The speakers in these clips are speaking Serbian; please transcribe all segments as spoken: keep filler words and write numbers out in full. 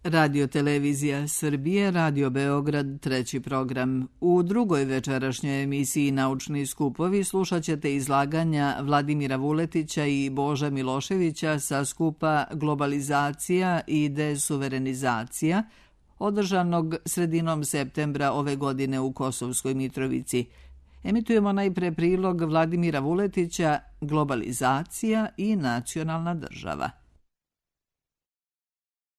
Radio Televizija Srbije, Radio Beograd, treći program. U drugoj večerašnjoj emisiji Naučni skupovi slušat ćete izlaganja Vladimira Vuletića i Bože Miloševića sa skupa Globalizacija i desuverenizacija, održanog sredinom septembra ove godine u Kosovskoj Mitrovici. Emitujemo najpre prilog Vladimira Vuletića Globalizacija i nacionalna država.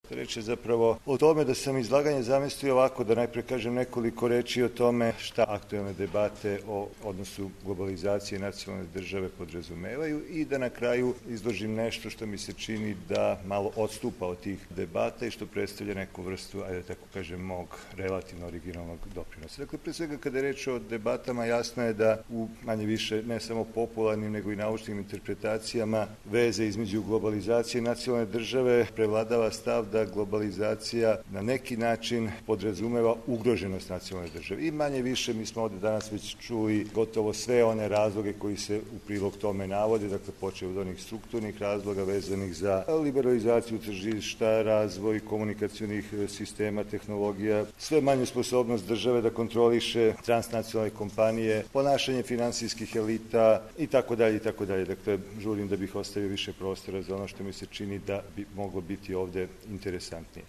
Reč je zapravo o tome da sam izlaganje zamislio ovako, da najpre kažem nekoliko reči o tome šta aktuelne debate o odnosu globalizacije i nacionalne države podrazumevaju i da na kraju izložim nešto što mi se čini da malo odstupa od tih debata i što predstavlja neku vrstu, ajde tako kažem, mog relativno originalnog doprinosa. Dakle, pre svega kada je reč o debatama, jasno je da u manje više ne samo popularnim nego i naučnim interpretacijama veze između globalizacije i nacionalne države prevladava stav da globalizacija na neki način podrazumeva ugroženost nacionalne države. I manje više mi smo ovde danas već čuli gotovo sve one razloge koji se u prilog tome navode, dakle počeo od onih strukturnih razloga vezanih za liberalizaciju tržišta, razvoj komunikacionih sistema, tehnologija, sve manju sposobnost države da kontroliše transnacionalne kompanije, ponašanje finansijskih elita i tako dalje i tako dalje. Dakle, žurim da bih ostavio više prostora za ono što mi se čini da bi moglo biti ovde interesantnije.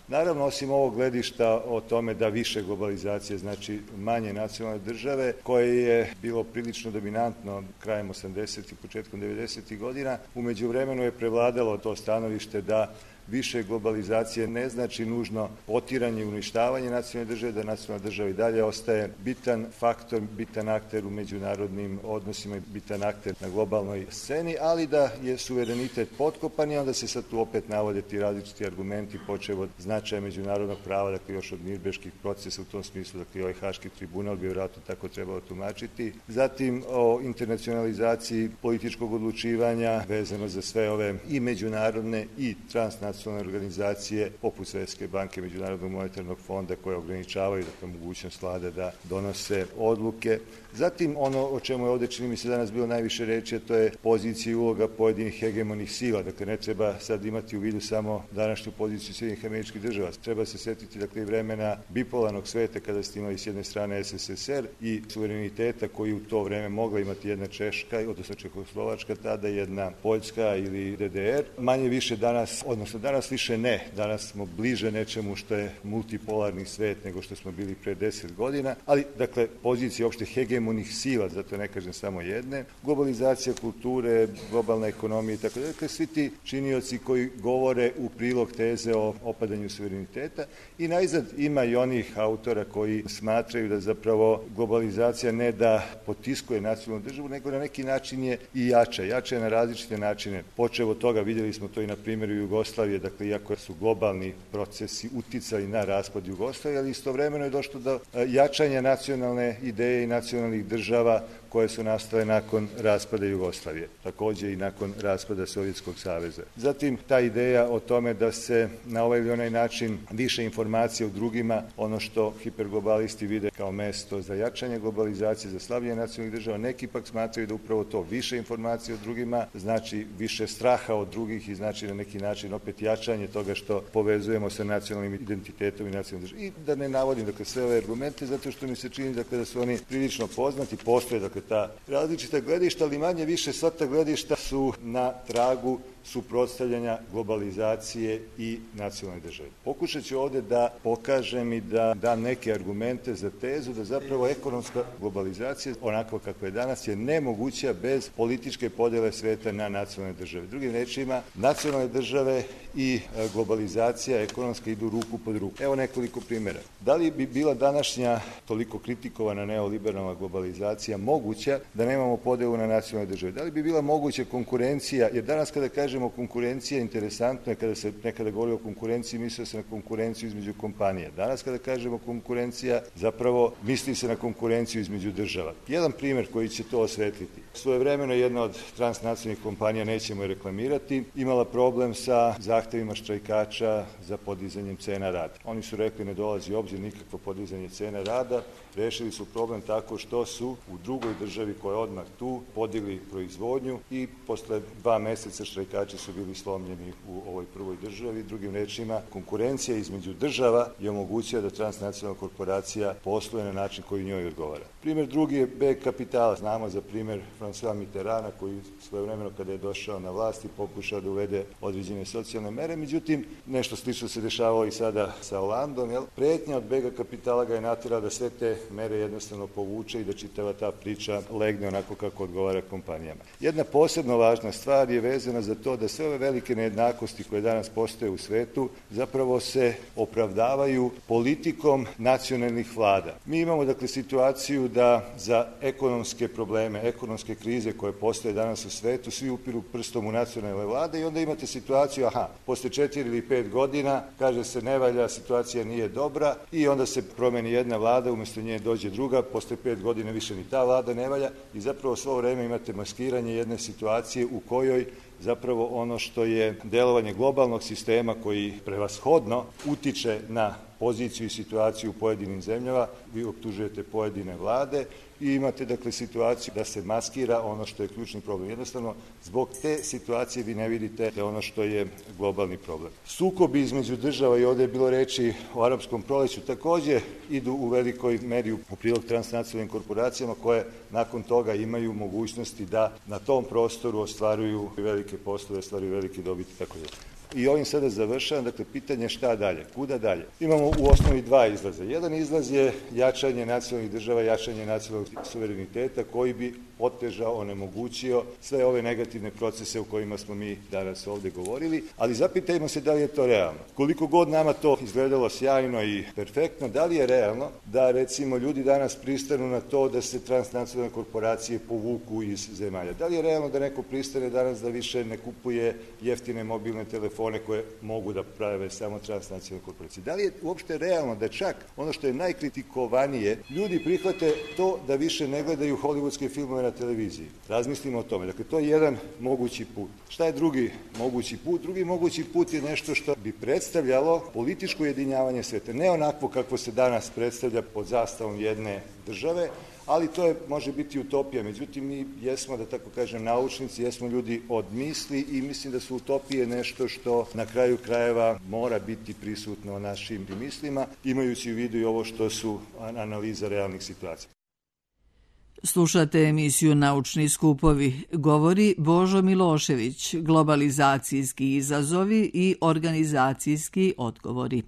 Naravno, osim ovog gledišta o tome da više globalizacije znači manje nacionalne države, koje je bilo prilično dominantno krajem osamdesetih i početkom devedesetih godina, u međuvremenu je prevladalo to stanovište da više globalizacije ne znači nužno potiranje i uništavanje nacionalne države, da nacionalna država i dalje ostaje bitan faktor, bitan akter u međunarodnim odnosima i bitan akter na globalnoj sceni, ali da je suverenitet potkopan i onda se sad tu opet navode ti različiti argumenti, počev od značaja međunarodnog prava, dakle još od Nirnberških procesa u tom smislu, dakle i ovaj Haški tribunal bi vjerojatno tako trebalo tumačiti. Zatim o internacionalizaciji političkog odlučivanja vezano za sve ove i međunarodne i transnacionalne organizacije poput Svetske banke, Međunarodnog monetarnog fonda koje ograničavaju dakle, mogućnost vlade da donose odluke. Zatim ono o čemu je ovde čini mi se danas bilo najviše reči, a to je pozicija i uloga pojedinih hegemonih sila. Dakle, ne treba sad imati u vidu samo današnju poziciju Sjedinjenih Američkih Država. Treba se setiti dakle, i vremena bipolarnog sveta kada ste imali s jedne strane S S S R i suvereniteta koji u to vreme mogla imati jedna Češka, odnosno Čehoslovačka, tada jedna Poljska ili D D R. Manje više danas, odnosno danas više ne. Danas smo bliže nečemu što je multipolarni svet nego što smo bili pre deset godina, ali dakle pozicije opšte hegemonih sila, zato ne kažem samo jedne, globalizacija kulture, globalna ekonomija i tako da. Dakle, svi ti činioci koji govore u prilog teze o opadanju suvereniteta i najzad ima i onih autora koji smatraju da zapravo globalizacija ne da potiskuje nacionalnu državu, nego na neki način je i jača. Jača je na različite načine. Počev od toga, vidjeli smo to i na primjeru Jugoslavije, dakle, iako su globalni procesi uticali na raspad Jugoslavije, ali istovremeno je došlo do jačanja nacionalne ideje i nacionalnih država koje su nastale nakon raspada Jugoslavije, takođe i nakon raspada Sovjetskog saveza. Zatim, ta ideja o tome da se na ovaj ili onaj način više informacija o drugima, ono što hiperglobalisti vide kao mesto za jačanje globalizacije, za slabljenje nacionalnih država, neki pak smatraju da upravo to više informacija o drugima znači više straha od drugih i znači na neki način opet jačanje toga što povezujemo sa nacionalnim identitetom i nacionalnim državom. I da ne navodim dakle, sve ove argumente, zato što mi se čini dakle, da su oni prilično poznati, postoje dakle, ta različita gledišta, ali manje više sva ta gledišta su na tragu suprotstavljanja globalizacije i nacionalne države. Pokušat ću ovde da pokažem i da dam neke argumente za tezu da zapravo ekonomska globalizacija, onako kako je danas, je nemoguća bez političke podele sveta na nacionalne države. Drugim rečima, nacionalne države i globalizacija ekonomska idu ruku pod ruku. Evo nekoliko primjera. Da li bi bila današnja toliko kritikovana neoliberalna globalizacija moguća da nemamo podelu na nacionalne države? Da li bi bila moguća konkurencija, jer danas kada kažemo konkurencija, interesantno je kada se nekada govori o konkurenciji, misli se na konkurenciju između kompanija. Danas kada kažemo konkurencija, zapravo misli se na konkurenciju između država. Jedan primjer koji će to osvetliti. Svojevremeno jedna od transnacionalnih kompanija, nećemo je reklamirati, imala problem sa zahtevima štrajkača za podizanjem cena rada. Oni su rekli ne dolazi u obzir nikakvo podizanje cena rada, rešili su problem tako što su u drugoj državi koja je odmah tu podigli proizvodnju i posle dva meseca štrajkači igrači su bili slomljeni u ovoj prvoj državi. Drugim rečima, konkurencija između država je omogućila da transnacionalna korporacija posluje na način koji njoj odgovara. Primjer drugi je beg kapitala. Znamo za primjer François Mitterranda koji svojevremeno kada je došao na vlast i pokušao da uvede određene socijalne mere, međutim nešto slično se dešavalo i sada sa Hollandom. Jel? Prijetnja od bega kapitala ga je natjerala da sve te mere jednostavno povuče i da čitava ta priča legne onako kako odgovara kompanijama. Jedna posebno važna stvar je vezana za to da sve ove velike nejednakosti koje danas postoje u svetu zapravo se opravdavaju politikom nacionalnih vlada. Mi imamo dakle situaciju da za ekonomske probleme, ekonomske krize koje postoje danas u svetu, svi upiru prstom u nacionalne vlade i onda imate situaciju, aha, posle četiri ili pet godina kaže se ne valja, situacija nije dobra i onda se promeni jedna vlada, umjesto nje dođe druga, posle pet godina više ni ta vlada ne valja i zapravo svo vreme imate maskiranje jedne situacije u kojoj zapravo ono što je delovanje globalnog sistema koji prevashodno utiče na poziciju i situaciju u pojedinim zemljama, vi optužujete pojedine vlade i imate dakle situaciju da se maskira ono što je ključni problem. Jednostavno, zbog te situacije vi ne vidite ono što je globalni problem. Sukobi između država, i ovdje je bilo reči o arapskom proleću, također idu u velikoj meri u prilog transnacionalnim korporacijama koje nakon toga imaju mogućnosti da na tom prostoru ostvaruju velike poslove, ostvaruju velike dobiti i tako dalje. I ovim sada završavam, dakle, pitanje šta dalje, kuda dalje. Imamo u osnovi dva izlaza. Jedan izlaz je jačanje nacionalnih država, jačanje nacionalnog suvereniteta koji bi otežao, onemogućio sve ove negativne procese u kojima smo mi danas ovdje govorili, ali zapitajmo se da li je to realno. Koliko god nama to izgledalo sjajno i perfektno, da li je realno da recimo ljudi danas pristanu na to da se transnacionalne korporacije povuku iz zemalja? Da li je realno da neko pristane danas da više ne kupuje jeftine mobilne telefone koje mogu da prave samo transnacionalne korporacije? Da li je uopšte realno da čak ono što je najkritikovanije, ljudi prihvate to da više ne gledaju hollywoodske filmove na televiziji? Razmislimo o tome. Dakle, to je jedan mogući put. Šta je drugi mogući put? Drugi mogući put je nešto što bi predstavljalo političko ujedinjavanje sveta. Ne onako kako se danas predstavlja pod zastavom jedne države, ali to je, može biti utopija. Međutim, mi jesmo, da tako kažem, naučnici, jesmo ljudi od misli i mislim da su utopije nešto što na kraju krajeva mora biti prisutno u našim mislima, imajući u vidu i ovo što su analiza realnih situacija. Slušate emisiju Naučni skupovi. Govori Božo Milošević, globalizacijski izazovi i organizacijski odgovori.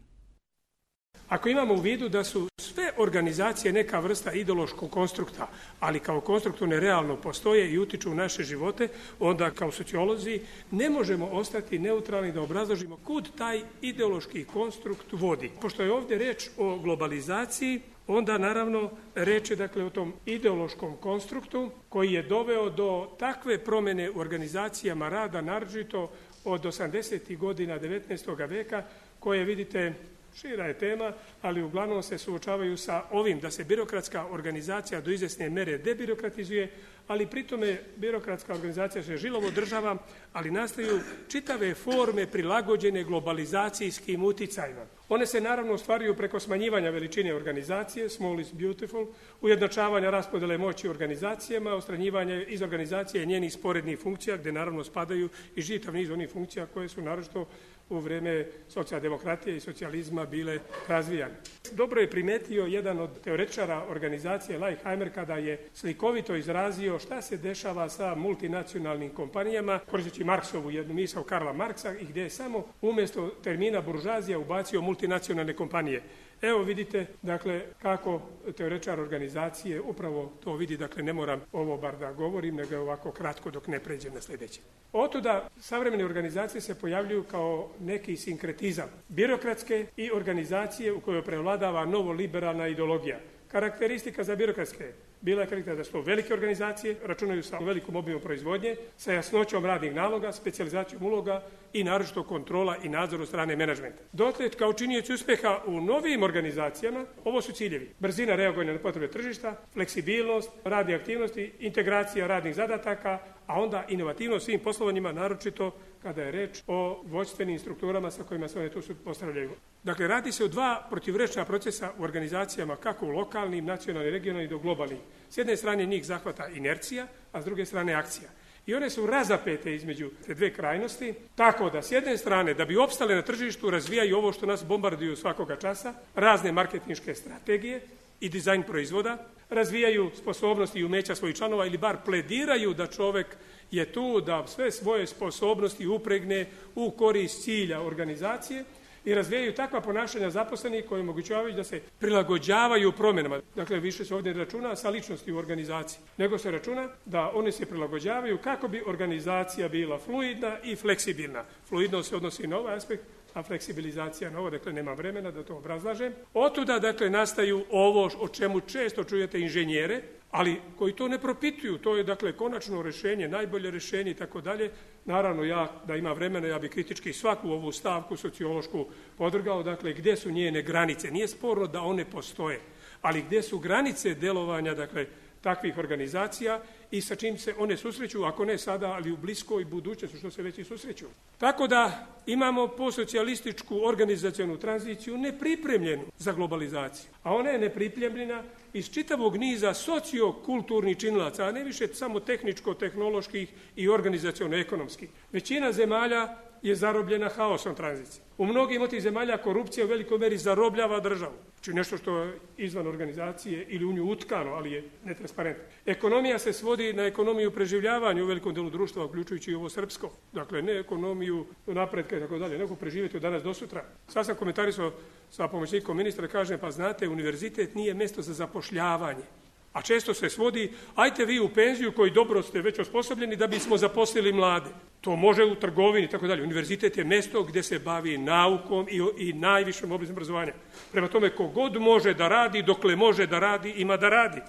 Ako imamo u vidu da su sve organizacije neka vrsta ideološkog konstrukta, ali kao konstruktorne realno postoje i utiču u naše živote, onda kao sociolozi ne možemo ostati neutralni da obrazložimo kud taj ideološki konstrukt vodi. Pošto je ovdje reč o globalizaciji, onda naravno reč je dakle o tom ideološkom konstruktu koji je doveo do takve promjene u organizacijama rada, naročito od osamdesetih godina devetnaestog veka, koje vidite šira je tema, ali uglavnom se suočavaju sa ovim da se birokratska organizacija do izvjesne mere debirokratizuje, ali pritome birokratska organizacija se žilovo održava, ali nastaju čitave forme prilagođene globalizacijskim uticajima. One se naravno ostvaruju preko smanjivanja veličine organizacije, small is beautiful, ujednačavanja raspodjele moći u organizacijama, ostranjivanja iz organizacije njenih sporednih funkcija, gdje naravno spadaju i čitav niz onih funkcija koje su naročito u vrijeme socijaldemokratije i socijalizma bile razvijane. Dobro je primetio jedan od teoretičara organizacije Leichheimer kada je slikovito izrazio šta se dešava sa multinacionalnim kompanijama, koristeći Marksovu jednu misao Karla Marksa i gdje je samo umjesto termina buržazija ubacio multinacionalne kompanije. Evo vidite, dakle, kako teoretičar organizacije upravo to vidi, dakle, ne moram ovo bar da govorim, nego ovako kratko dok ne pređem na sljedeće. Otuda savremene organizacije se pojavljuju kao neki sinkretizam birokratske i organizacije u kojoj prevladava novoliberalna ideologija. Karakteristika za birokratske bila je karakteristika da su to velike organizacije, računaju sa velikom obimom proizvodnje, sa jasnoćom radnih naloga, specijalizacijom uloga i naročito kontrola i nadzor od strane menadžmenta. Dotle, kao činioci uspjeha u novim organizacijama, ovo su ciljevi. Brzina reagovanja na potrebe tržišta, fleksibilnost, radne aktivnosti, integracija radnih zadataka, a onda inovativnost svim poslovanjima, naročito kada je reč o vođstvenim strukturama sa kojima se one tu postavljaju. Dakle, radi se o dva protivrečna procesa u organizacijama, kako u lokalnim, nacionalnim, regionalnim i do globalnim. S jedne strane njih zahvata inercija, a s druge strane akcija. I one su razapete između te dve krajnosti, tako da s jedne strane, da bi opstale na tržištu, razvijaju ovo što nas bombarduju svakoga časa, razne marketinške strategije i dizajn proizvoda, razvijaju sposobnosti i umeća svojih članova ili bar plediraju da čovek je tu da sve svoje sposobnosti upregne u korist cilja organizacije i razvijaju takva ponašanja zaposlenih koji omogućavaju da se prilagođavaju promjenama. Dakle, više se ovdje ne računa sa ličnosti u organizaciji, nego se računa da one se prilagođavaju kako bi organizacija bila fluidna i fleksibilna. Fluidnost se odnosi na ovaj aspekt, a fleksibilizacija na ovo, dakle nema vremena da to obrazlažem. Otuda, dakle, nastaju ovo o čemu često čujete inženjere, ali koji to ne propituju, to je, dakle, konačno rješenje, najbolje rješenje i tako dalje. Naravno, ja, da ima vremena, ja bi kritički svaku ovu stavku sociološku podvrgao, dakle, gdje su njene granice. Nije sporno da one postoje, ali gdje su granice delovanja, dakle, takvih organizacija i sa čim se one susreću, ako ne sada, ali u bliskoj budućnosti, što se već i susreću. Tako da imamo postsocijalističku organizacionu tranziciju nepripremljenu za globalizaciju, a ona je nepripremljena iz čitavog niza sociokulturnih činilaca, a ne više samo tehničko-tehnoloških i organizaciono-ekonomskih. Većina zemalja je zarobljena haosom tranzicije. U mnogim od tih zemalja korupcija u velikoj meri zarobljava državu. Znači nešto što je izvan organizacije ili u nju utkano, ali je netransparentno. Ekonomija se svodi na ekonomiju preživljavanja u velikom delu društva, uključujući i ovo srpsko. Dakle, ne ekonomiju napretka i tako dalje, nego preživjeti od danas do sutra. Sad sam komentarisao sa pomoćnikom ministra, kažem, pa znate, univerzitet nije mjesto za zapošljavanje. A često se svodi, ajte vi u penziju koji dobro ste već osposobljeni da bismo zaposlili mlade. To može u trgovini i tako dalje. Univerzitet je mjesto gdje se bavi naukom i, i najvišom oblikom obrazovanja. Prema tome, kogod može da radi, dokle može da radi, ima da radi.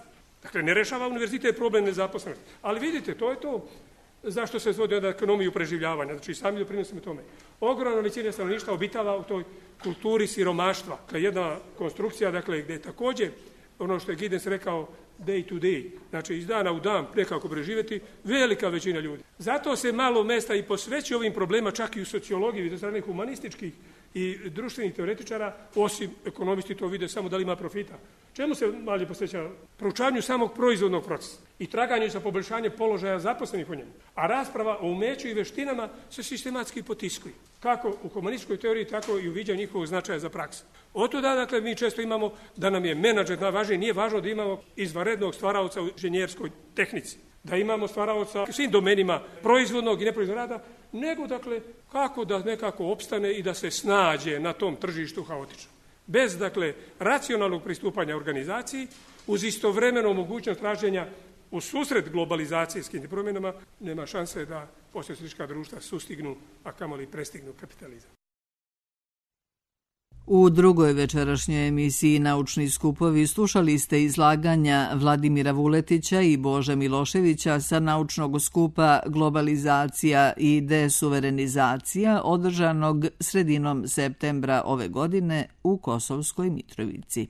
Dakle, ne rešava univerzitet problem nezaposlenosti. Ali vidite, to je to zašto se svodi od ekonomiju preživljavanja. Znači, sami doprinosimo tome. Ogromna većina stanovništva obitava u toj kulturi siromaštva. Dakle, jedna konstrukcija, dakle, gdje je također ono što je Giddens rekao day to day, znači iz dana u dan nekako preživjeti, velika većina ljudi. Zato se malo mesta i posveći ovim problema, čak i u sociologiji, do strane humanističkih i društvenih teoretičara, osim ekonomisti to vide samo da li ima profita. Čemu se malje posveća? Proučavanju samog proizvodnog procesa i traganju sa poboljšanjem položaja zaposlenih u njemu. A rasprava o umeću i veštinama se sistematski potiskuje. Kako u humanističkoj teoriji, tako i u viđanju njihovog značaja za praksu. Otuda, dakle, mi često imamo da nam je menadžer najvažniji, nije važno da imamo izvanrednog stvaraoca u inženjerskoj tehnici, da imamo stvaraoca u svim domenima proizvodnog i neproizvodnog rada, nego, dakle, kako da nekako opstane i da se snađe na tom tržištu haotično. Bez, dakle, racionalnog pristupanja organizaciji, uz istovremeno mogućnost traženja u susret globalizacijskim promjenama, nema šanse da postsocijalistička društva sustignu, a kamoli prestignu kapitalizam. U drugoj večerašnjoj emisiji Naučni skupovi slušali ste izlaganja Vladimira Vuletića i Bože Miloševića sa naučnog skupa Globalizacija i desuverenizacija održanog sredinom septembra ove godine u Kosovskoj Mitrovici.